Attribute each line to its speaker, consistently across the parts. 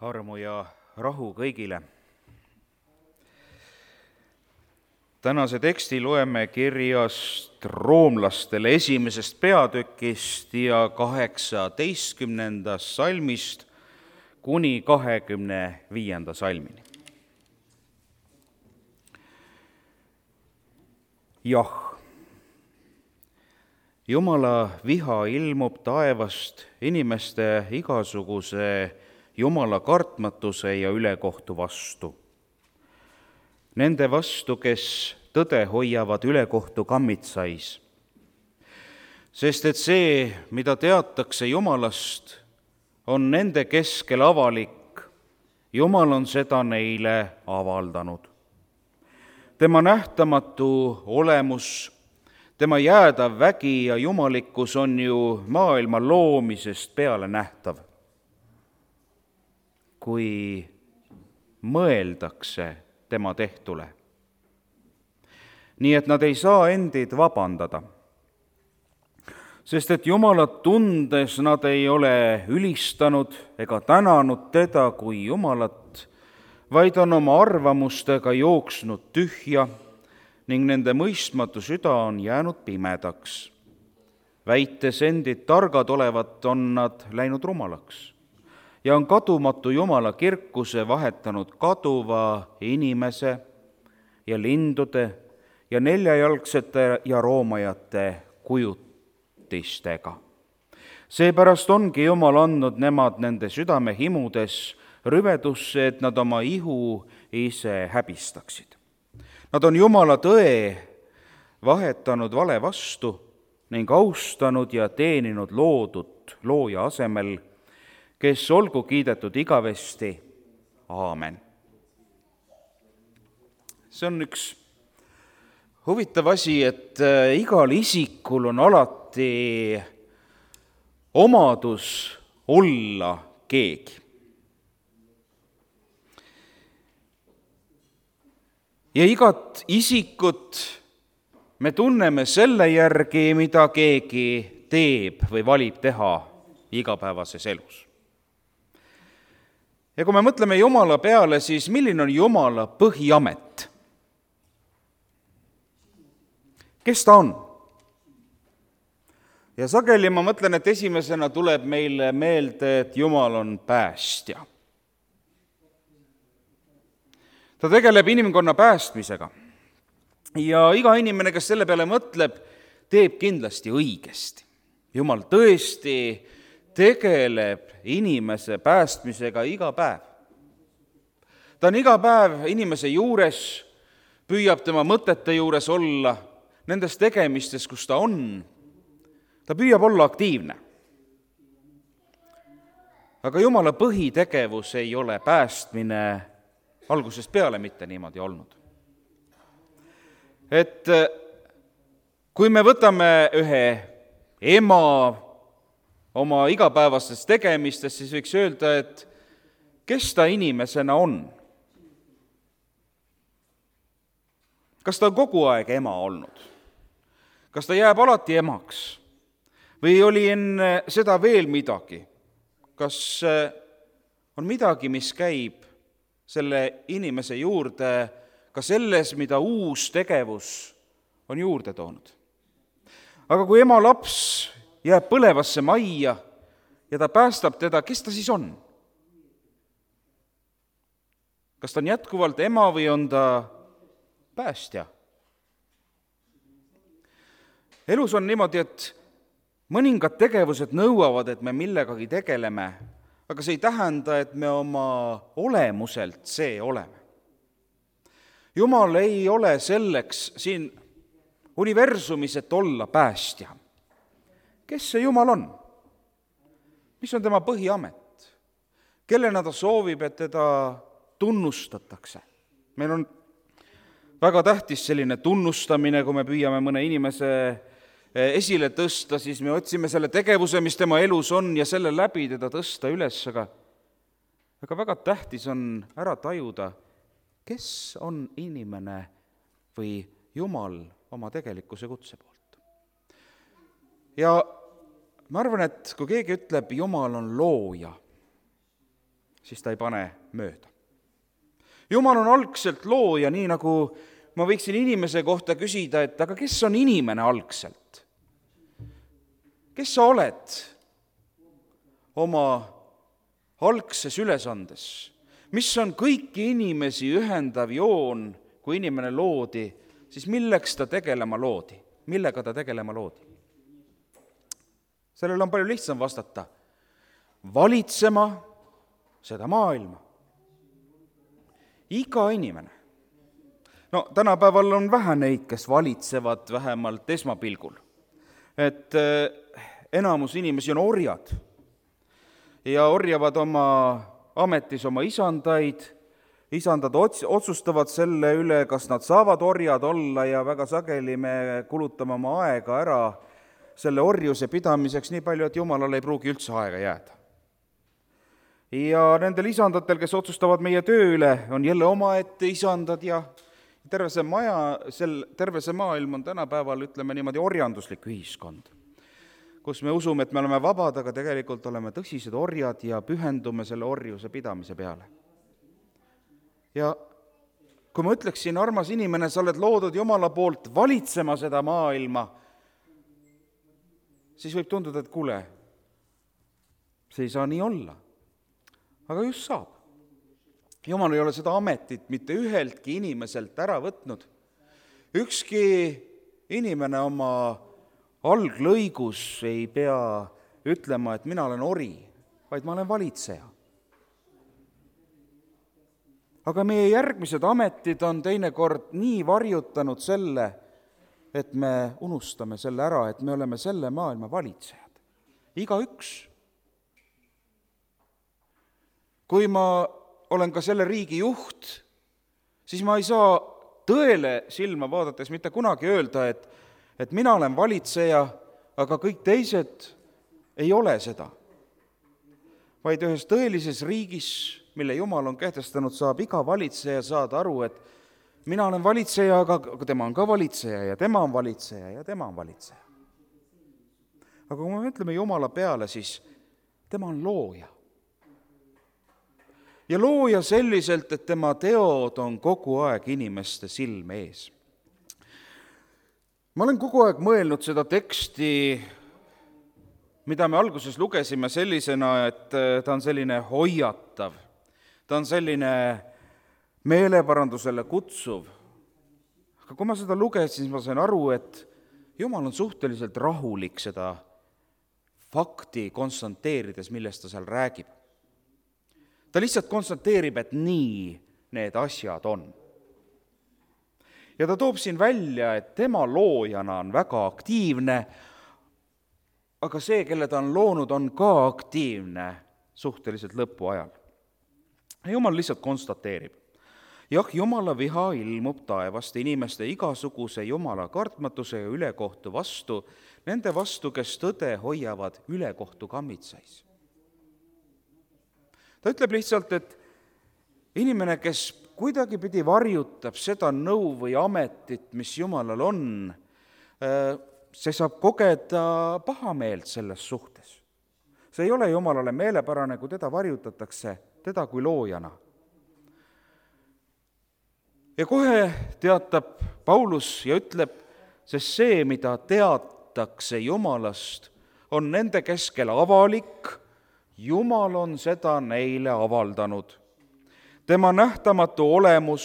Speaker 1: Armu ja rahu kõigile. Tänase teksti loeme kirjast roomlastele 1. peatükist ja 18. salmist kuni 25. salmini. Jah, Jumala viha ilmub taevast inimeste igasuguse Jumala kartmatuse ja ülekohtu vastu. Nende vastu, kes tõde hoiavad ülekohtu kammitsais. Sest et see, mida teatakse Jumalast, on nende keskel avalik. Jumal on seda neile avaldanud. Tema nähtamatu olemus, tema jäädav vägi ja jumalikkus on ju maailma loomisest peale nähtav. Kui mõeldakse tema tehtule. Nii et nad ei saa endid vabandada. Sest et Jumalat tundes nad ei ole ülistanud ega tänanud teda kui Jumalat, vaid on oma arvamustega jooksnud tühja ning nende mõistmatu süda on jäänud pimedaks. Väites endid targad olevat, on nad läinud rumalaks ja on kadumatu Jumala kirkuse vahetanud kaduva inimese ja lindude ja neljajalgsete ja roomajate kujutistega. Seepärast ongi Jumal andnud nemad nende südame himudes rüvedusse, et nad oma ihu ise häbistaksid. Nad on Jumala tõe vahetanud vale vastu ning austanud ja teeninud loodut looja asemel, kes olgu kiidetud igavesti. Aamen. See on üks huvitav asi, et igal isikul on alati omadus olla keegi. Ja igat isikut me tunneme selle järgi, mida keegi teeb või valib teha igapäevases elus. Ja kui me mõtleme Jumala peale, siis milline on Jumala põhiamet? Kes ta on? Ja sageli ma mõtlen, et esimesena tuleb meile meelde, et Jumal on päästja. Ta tegeleb inimkonna päästmisega. Ja iga inimene, kes selle peale mõtleb, teeb kindlasti õigesti. Jumal tõesti tegeleb inimese päästmisega iga päev. Ta on iga päev inimese juures, püüab tema mõtete juures olla, nendes tegemistes, kus ta on. Ta püüab olla aktiivne. Aga Jumala põhitegevus ei ole päästmine algusest peale mitte niimoodi olnud. Et kui me võtame ühe ema oma igapäevastes tegemistes, siis võiks öelda, et kes ta inimesena on? Kas ta on kogu aeg ema olnud? Kas ta jääb alati emaks? Või oli enne seda veel midagi? Kas on midagi, mis käib selle inimese juurde ka selles, mida uus tegevus on juurde toonud? Aga kui ema laps jääb põlevasse majja ja ta päästab teda, kes ta siis on? Kas ta on jätkuvalt ema või on ta päästja? Elus on niimoodi, et mõningad tegevused nõuavad, et me millegagi tegeleme, aga see ei tähenda, et me oma olemuselt see oleme. Jumal ei ole selleks siin universumis, et olla päästja. Kes see Jumal on? Mis on tema põhiamet? Kellena ta soovib, et teda tunnustatakse? Meil on väga tähtis selline tunnustamine, kui me püüame mõne inimese esile tõsta, siis me otsime selle tegevuse, mis tema elus on ja selle läbi teda tõsta üles, aga väga tähtis on ära tajuda, kes on inimene või Jumal oma tegelikkuse kutse poolt. Ja ma arvan, et kui keegi ütleb, Jumal on looja, siis ta ei pane mööda. Jumal on algselt looja, nii nagu ma võiksin inimese kohta küsida, et aga kes on inimene algselt? Kes sa oled oma algses ülesandes? Mis on kõiki inimesi ühendav joon, kui inimene loodi, siis milleks ta tegelema loodi? Millega ta tegelema loodi? Sellele on palju lihtsam vastata. Valitsema seda maailma. Iga inimene. No tänapäeval on vähe neid, kes valitsevad vähemalt esmapilgul. Et enamus inimesi on orjad ja orjavad oma ametis oma isandaid. Isandad otsustavad selle üle, kas nad saavad orjad olla ja väga sageli me kulutame oma aega ära selle orjuse pidamiseks nii palju, et Jumalale ei pruugi üldse aega jääda. Ja nendel isandatel, kes otsustavad meie töö üle, on jälle omaette isandad ja terve see maailm on tänapäeval, ütleme niimoodi, orjanduslik ühiskond, kus me usume, et me oleme vabad, aga tegelikult oleme tõsised orjad ja pühendume selle orjuse pidamise peale. Ja kui ma ütleksin, armas inimene, sa oled loodud Jumala poolt valitsema seda maailma, siis võib tunduda, et kuule, see ei saa nii olla. Aga just saab. Jumal ei ole seda ametit mitte üheltki inimeselt ära võtnud. Ükski inimene oma alglõigus ei pea ütlema, et mina olen ori, vaid ma olen valitseja. Aga meie järgmised ametid on teinekord nii varjutanud selle, et me unustame selle ära, et me oleme selle maailma valitsejad. Igaüks. Kui ma olen ka selle riigi juht, siis ma ei saa tõele silma vaadates mitte kunagi öelda, et mina olen valitseja, aga kõik teised ei ole seda. Vaid ühes tõelises riigis, mille Jumal on kehtestanud, saab iga valitseja saada aru, et mina olen valitseja, aga tema on ka valitseja ja tema on valitseja ja tema on valitseja. Aga kui me mõtleme Jumala peale, siis tema on looja. Ja looja selliselt, et tema teod on kogu aeg inimeste silme ees. Ma olen kogu aeg mõelnud seda teksti, mida me alguses lugesime sellisena, et ta on selline hoiatav, ta on selline meeleparandusele kutsuv. Aga kui ma seda lugesin, siis ma sain aru, et Jumal on suhteliselt rahulik seda fakti konstanteerides, millest ta seal räägib. Ta lihtsalt konstateerib, et nii need asjad on. Ja ta toob siin välja, et tema loojana on väga aktiivne, aga see, kelle ta on loonud, on ka aktiivne suhteliselt lõpu ajal. Jumal lihtsalt konstateerib. Jah, Jumala viha ilmub taevast inimeste igasuguse Jumala kartmatuse ja ülekohtu vastu, nende vastu, kes tõde hoiavad ülekohtu kammitsais. Ta ütleb lihtsalt, et inimene, kes kuidagi pidi varjutab seda nõu või ametit, mis Jumalal on, see saab kogeda pahameelt selles suhtes. See ei ole Jumalale meelepärane, kui teda varjutatakse, teda kui loojana. Ja kohe teatab Paulus ja ütleb, sest see, mida teatakse Jumalast, on nende keskel avalik, Jumal on seda neile avaldanud. Tema nähtamatu olemus,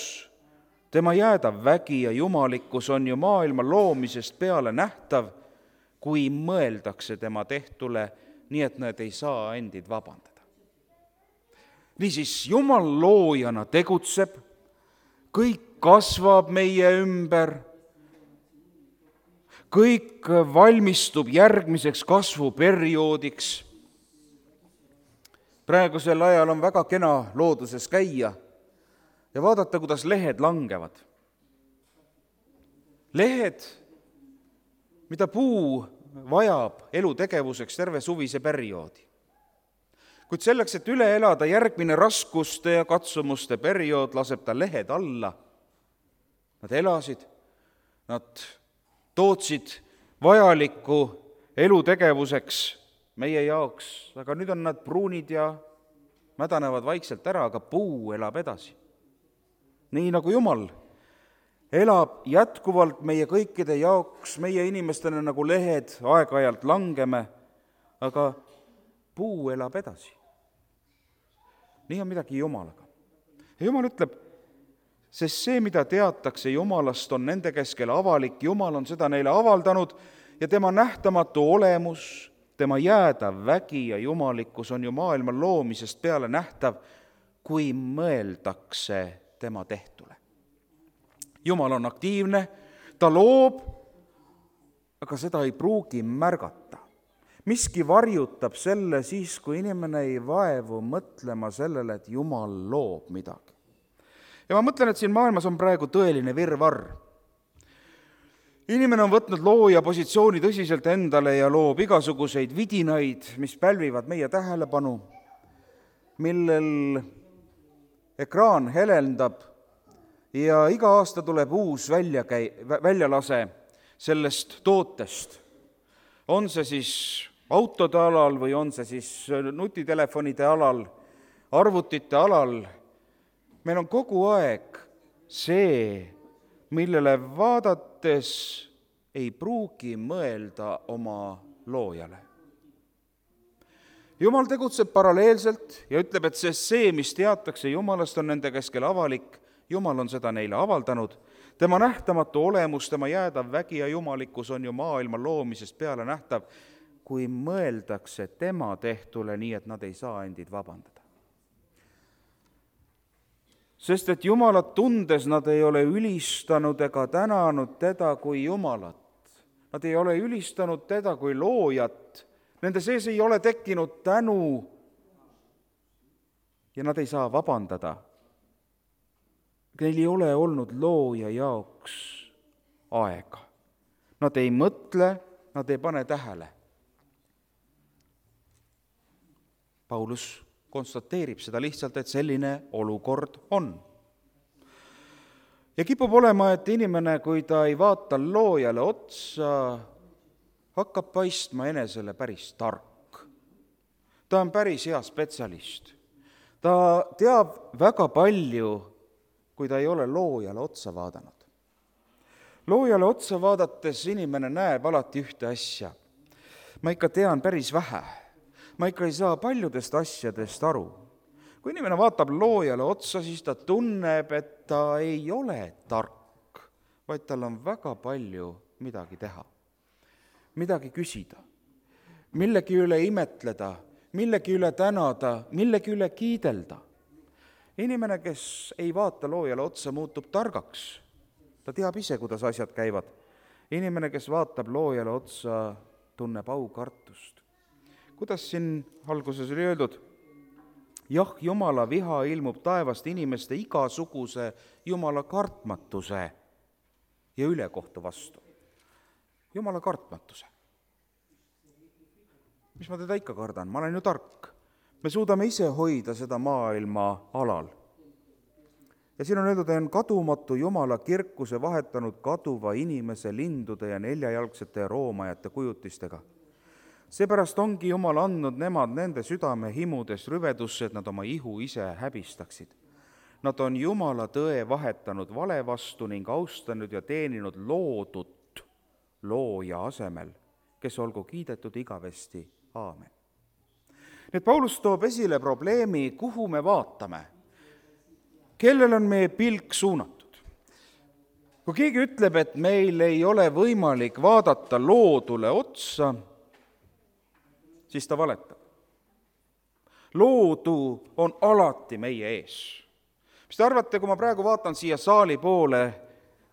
Speaker 1: tema jäädav vägi ja jumalikkus on ju maailma loomisest peale nähtav, kui mõeldakse tema tehtule, nii et nad ei saa endid vabandada. Niisiis, Jumal loojana tegutseb, kõik kasvab meie ümber, kõik valmistub järgmiseks kasvuperioodiks. Praegusel ajal on väga kena looduses käia ja vaadata, kuidas lehed langevad. Lehed, mida puu vajab elutegevuseks terve suvise perioodi. Kuid selleks, et üle elada järgmine raskuste ja katsumuste periood, laseb ta lehed alla. Nad elasid, nad tootsid vajalikku elutegevuseks meie jaoks, aga nüüd on nad pruunid ja mädanevad vaikselt ära, aga puu elab edasi. Nii nagu Jumal elab jätkuvalt meie kõikide jaoks, meie inimestena nagu lehed aeg-ajalt langeme, aga puu elab edasi. Nii on midagi Jumalaga. Ja Jumal ütleb, sest see, mida teatakse Jumalast, on nende keskel avalik, Jumal on seda neile avaldanud ja tema nähtamatu olemus, tema jäädav vägi ja jumalikkus on ju maailma loomisest peale nähtav, kui mõeldakse tema tehtule. Jumal on aktiivne, ta loob, aga seda ei pruugi märgata. Miski varjutab selle siis, kui inimene ei vaevu mõtlema sellele, et Jumal loob midagi. Ja ma mõtlen, et siin maailmas on praegu tõeline virvarr. Inimene on võtnud looja positsiooni tõsiselt endale ja loob igasuguseid vidinaid, mis pälvivad meie tähelepanu, millel ekraan helendab ja iga aasta tuleb uus väljalase sellest tootest. On see siis autode alal või on see siis nutitelefonide alal, arvutite alal. Meil on kogu aeg see, millele vaadates ei pruugi mõelda oma loojale. Jumal tegutseb paralleelselt ja ütleb, et see, mis teatakse Jumalast, on nende keskel avalik. Jumal on seda neile avaldanud. Tema nähtamatu olemus, tema jäädav vägi ja jumalikkus on ju maailma loomisest peale nähtav, kui mõeldakse tema tehtule nii, et nad ei saa endid vabandada. Sest et Jumalat tundes nad ei ole ülistanud ega tänanud teda kui Jumalat. Nad ei ole ülistanud teda kui loojat. Nende sees ei ole tekkinud tänu ja nad ei saa vabandada. Neil ei ole olnud looja jaoks aega. Nad ei mõtle, nad ei pane tähele. Paulus konstateerib seda lihtsalt, et selline olukord on. Ja kipub olema, et inimene, kui ta ei vaata loojale otsa, hakkab paistma enesele päris tark. Ta on päris hea spetsialist. Ta teab väga palju, kui ta ei ole loojale otsa vaadanud. Loojale otsa vaadates inimene näeb alati ühte asja. Ma ikka tean päris vähe. Ma ikka ei saa paljudest asjadest aru. Kui inimene vaatab loojale otsa, siis ta tunneb, et ta ei ole tark, vaid tal on väga palju midagi teha. Midagi küsida, millegi üle imetleda, millegi üle tänada, millegi üle kiidelda. Inimene, kes ei vaata loojale otsa, muutub targaks. Ta teab ise, kuidas asjad käivad. Inimene, kes vaatab loojale otsa, tunneb aukartust. Kuidas siin alguses oli öeldud? Jah, Jumala viha ilmub taevast inimeste igasuguse Jumala kartmatuse ja ülekohtu vastu. Jumala kartmatuse. Mis ma teda ikka kardan? Ma olen ju tark. Me suudame ise hoida seda maailma alal. Ja siin on öeldud, on kadumatu Jumala kirkuse vahetanud kaduva inimese lindude ja neljajalgsete ja roomajate kujutistega. Seepärast ongi Jumal andnud nemad nende südame himudes rüvedusse, et nad oma ihu ise häbistaksid. Nad on Jumala tõe vahetanud vale vastu ning austanud ja teeninud loodut looja asemel, kes olgu kiidetud igavesti. Aamen. Nüüd Paulus toob esile probleemi, kuhu me vaatame. Kellel on meie pilk suunatud? Kui keegi ütleb, et meil ei ole võimalik vaadata loodule otsa, siis ta valetab. Loodu on alati meie ees. Mis te arvate, kui ma praegu vaatan siia saali poole,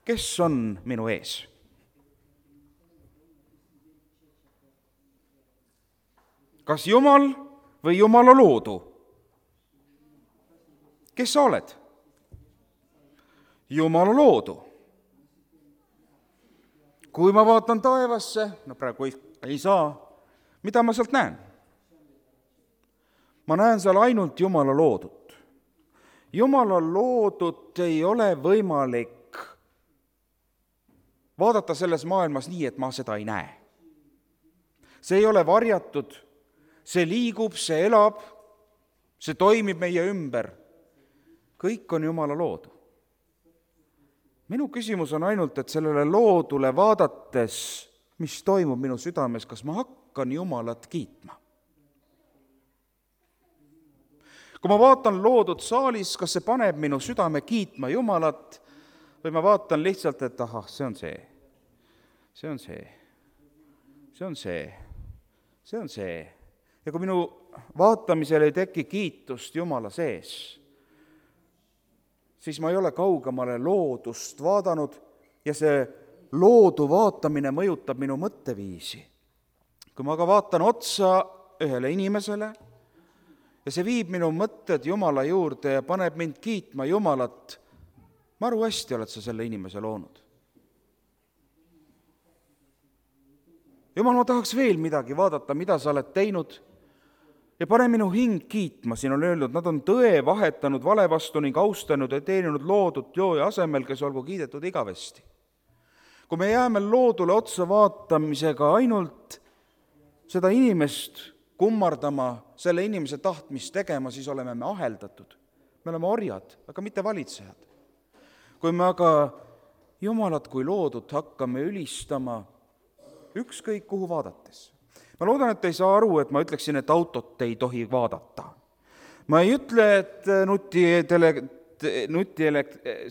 Speaker 1: kes on minu ees? Kas Jumal või Jumala loodu? Kes sa oled? Jumala loodu. Kui ma vaatan taevasse, praegu ei saa, mida ma sealt näen? Ma näen seal ainult Jumala loodut. Jumala loodut ei ole võimalik vaadata selles maailmas nii, et ma seda ei näe. See ei ole varjatud, see liigub, see elab see toimib meie ümber, kõik on Jumala loodu. Minu küsimus on ainult, et sellele loodule vaadates, mis toimub minu südames, kas ma hakkan Jumalat kiitma? Kui ma vaatan loodud saalis, kas see paneb minu südame kiitma Jumalat või ma vaatan lihtsalt, et ahah, see on see, see on see, see on see, see on see. Ja kui minu vaatamisel ei teki kiitust Jumala sees, siis ma ei ole kaugemale loodust vaadanud ja see loodu vaatamine mõjutab minu mõtteviisi. Kui ma aga vaatan otsa ühele inimesele ja see viib minu mõtted Jumala juurde ja paneb mind kiitma Jumalat, maru hästi oled sa selle inimese loonud. Jumal, ma tahaks veel midagi vaadata, mida sa oled teinud ja pane minu hing kiitma. Siin on öeldud, nad on tõe vahetanud vale vastu ning austanud ja teeninud loodut looja asemel, kes olgu kiidetud igavesti. Kui me jääme loodule otsa vaatamisega ainult seda inimest kummardama, selle inimese tahtmist tegema, siis oleme me aheldatud. Me oleme orjad, aga mitte valitsejad. Kui me aga Jumalat kui loodut hakkame ülistama ükskõik kuhu vaadates. Ma loodan, et ei saa aru, et ma ütleksin, et autot ei tohi vaadata. Ma ei ütle, et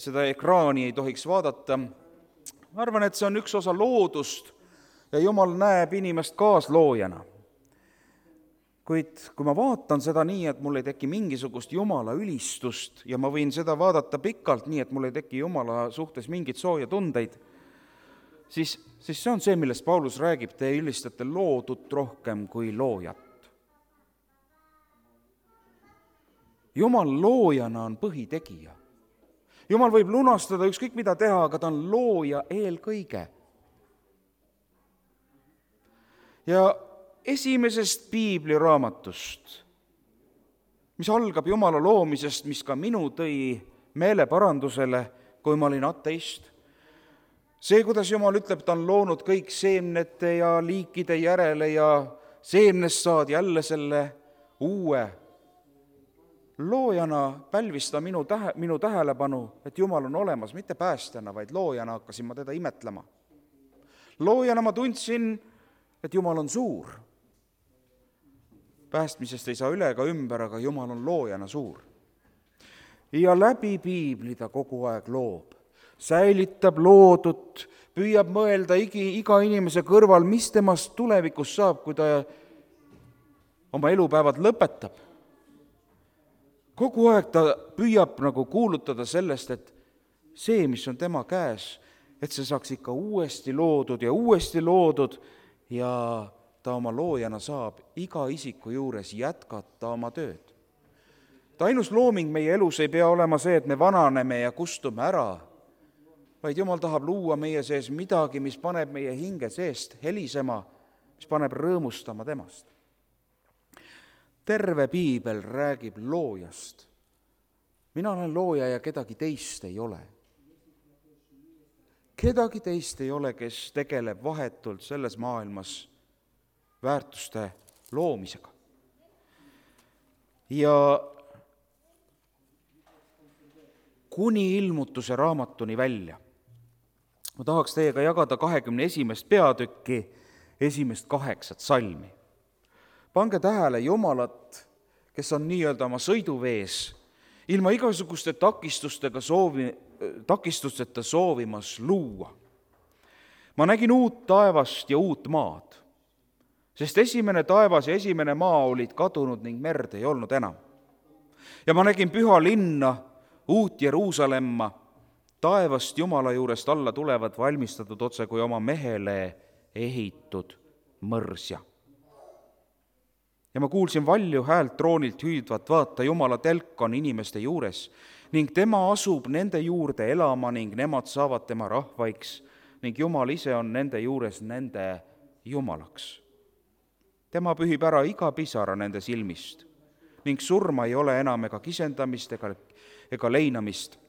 Speaker 1: seda ekraani ei tohiks vaadata. Ma arvan, et see on üks osa loodust ja Jumal näeb inimest kaasloojana. Kuid kui ma vaatan seda nii, et mul ei teki mingisugust Jumala ülistust ja ma võin seda vaadata pikalt nii, et mul ei teki Jumala suhtes mingit sooja tundeid, siis see on see, millest Paulus räägib, te ülistate loodut rohkem kui loojat. Jumal loojana on põhitegija. Jumal võib lunastada ükskõik mida teha, aga ta on looja eelkõige. Ja esimesest piibliraamatust, mis algab Jumala loomisest, mis ka minu tõi meeleparandusele, kui ma olin ateist, see, kuidas Jumal ütleb, ta on loonud kõik seemnete ja liikide järele ja seemnest saad jälle selle uue. Loojana pälvis ta minu tähelepanu, et Jumal on olemas, mitte päästjana, vaid loojana hakkasin ma teda imetlema. Loojana ma tundsin, et Jumal on suur. Päästmisest ei saa üle ega ümber, aga Jumal on loojana suur. Ja läbi piibli ta kogu aeg loob. Säilitab loodut, püüab mõelda iga inimese kõrval, mis temast tulevikus saab, kui ta oma elupäevad lõpetab. Kogu aeg ta püüab nagu kuulutada sellest, et see, mis on tema käes, et see saaks ikka uuesti loodud ja ta oma loojana saab iga isiku juures jätkata oma tööd. Ta ainus looming meie elus ei pea olema see, et me vananeme ja kustume ära, vaid Jumal tahab luua meie sees midagi, mis paneb meie hinge seest helisema, mis paneb rõõmustama temast. Terve piibel räägib loojast. Mina olen looja ja kedagi teist ei ole. Kedagi teist ei ole, kes tegeleb vahetult selles maailmas väärtuste loomisega. Ja kuni ilmutuse raamatuni välja. Ma tahaks teiega jagada 21. peatükki 8 salmi. Pange tähele Jumalat, kes on nii-öelda oma sõiduvees, ilma igasuguste takistusteta soovimas luua. Ma nägin uut taevast ja uut maad, sest esimene taevas ja esimene maa olid kadunud ning merd ei olnud enam. Ja ma nägin püha linna, uut Jeruusalemma, taevast Jumala juurest alla tulevad valmistatud otse kui oma mehele ehitud mõrsja. Ja ma kuulsin valju häält troonilt hüüdvat, vaata, Jumala telk on inimeste juures ning tema asub nende juurde elama ning nemad saavad tema rahvaiks ning Jumal ise on nende juures nende Jumalaks. Tema pühib ära iga pisara nende silmist ning surma ei ole enam ega kisendamist ega leinamist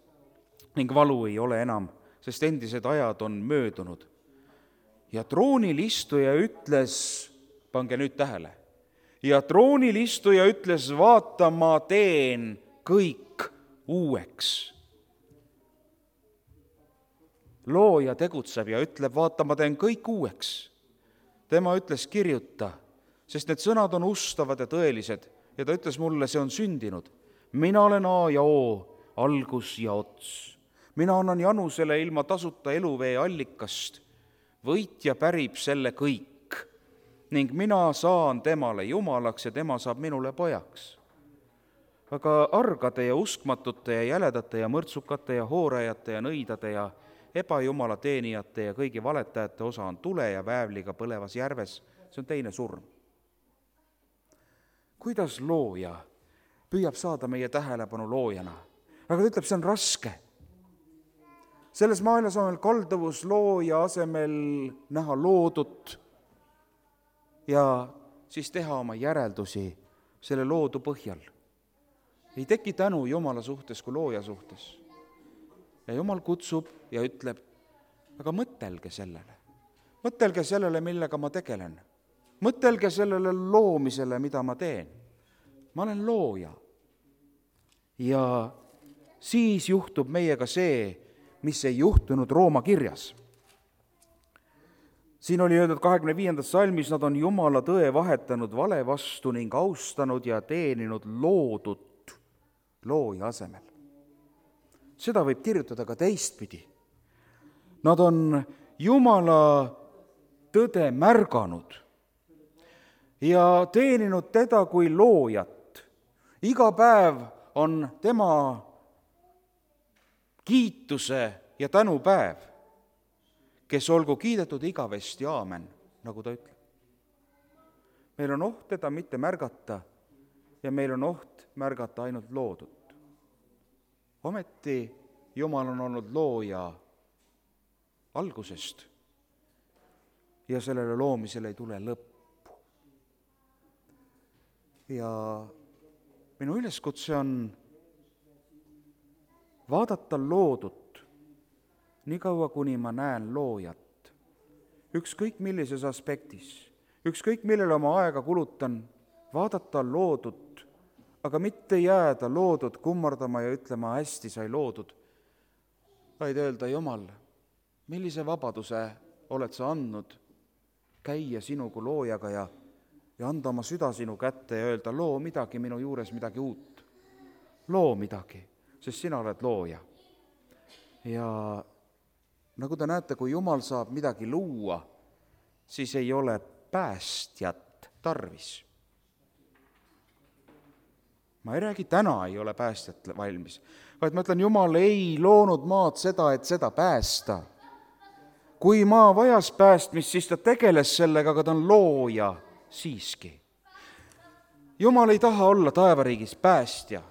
Speaker 1: ning valu ei ole enam, sest endised ajad on möödunud. Ja troonil istuja ütles, pange nüüd tähele, ja troonil istuja ütles, vaata, ma teen kõik uueks. Looja tegutseb ja ütleb, vaata, ma teen kõik uueks. Tema ütles, kirjuta, sest need sõnad on ustavad ja tõelised ja ta ütles mulle, see on sündinud. Mina olen A ja O, algus ja ots. Mina annan Janusele ilma tasuta eluvee allikast. Võitja pärib selle kõik ning mina saan temale jumalaks ja tema saab minule pojaks. Aga argade ja uskmatute ja jäledate ja mõrtsukate ja hoorajate ja nõidade ja ebajumala teenijate ja kõigi valetajate osa on tule ja väävliga põlevas järves. See on teine surm. Kuidas looja püüab saada meie tähelepanu loojana? Aga ta ütleb, see on raske. Selles maailmas on meil kalduvus looja asemel näha loodut ja siis teha oma järeldusi selle loodu põhjal. Ei teki tänu Jumala suhtes kui looja suhtes. Ja Jumal kutsub ja ütleb, aga mõtelge sellele. Mõtelge sellele, millega ma tegelen. Mõtelge sellele loomisele, mida ma teen. Ma olen looja. Ja siis juhtub meiega see, mis ei juhtunud Rooma kirjas. Siin oli öeldud 25. salmis, nad on Jumala tõe vahetanud vale vastu ning austanud ja teeninud loodut looja asemel. Seda võib kirjutada ka teistpidi. Nad on Jumala tõde märganud ja teeninud teda kui loojat. Iga päev on tema kiituse ja tänupäev, kes olgu kiidetud igavesti, aamen, nagu ta ütleb. Meil on oht teda mitte märgata ja meil on oht märgata ainult loodut. Ometi Jumal on olnud looja algusest ja sellele loomisele ei tule lõppu. Ja minu üleskutse on vaadata loodut nii kaua, kuni ma näen loojat. Ükskõik millises aspektis, ükskõik millele oma aega kulutan, vaadata loodut, aga mitte jääda loodud kummardama ja ütlema, hästi sai loodud, vaid öelda, Jumal, millise vabaduse oled sa andnud käia sinu kui loojaga ja anda oma süda sinu kätte ja öelda, loo midagi minu juures, midagi uut. Loo midagi, sest sina oled looja. Ja nagu te näete, kui Jumal saab midagi luua, siis ei ole päästjat tarvis. Ma ei räägi, täna ei ole päästjat valmis, vaid ma ütlen, Jumal ei loonud maad seda, et seda päästa. Kui maa vajas päästmist, siis ta tegeles sellega, aga ta on looja siiski. Jumal ei taha olla taevariigis päästja.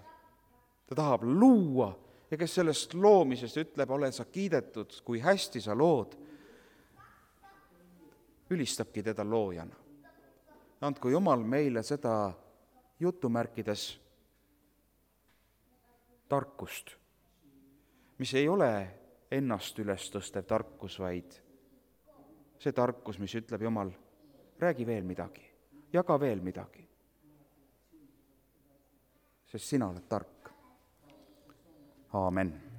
Speaker 1: Ta tahab luua ja kes sellest loomisest ütleb, ole sa kiidetud, kui hästi sa lood, ülistabki teda loojana. Andku Jumal meile seda jutumärkides tarkust, mis ei ole ennast üles tõstev tarkus, vaid see tarkus, mis ütleb Jumal, räägi veel midagi, jaga veel midagi, sest sina oled tark. Aamen.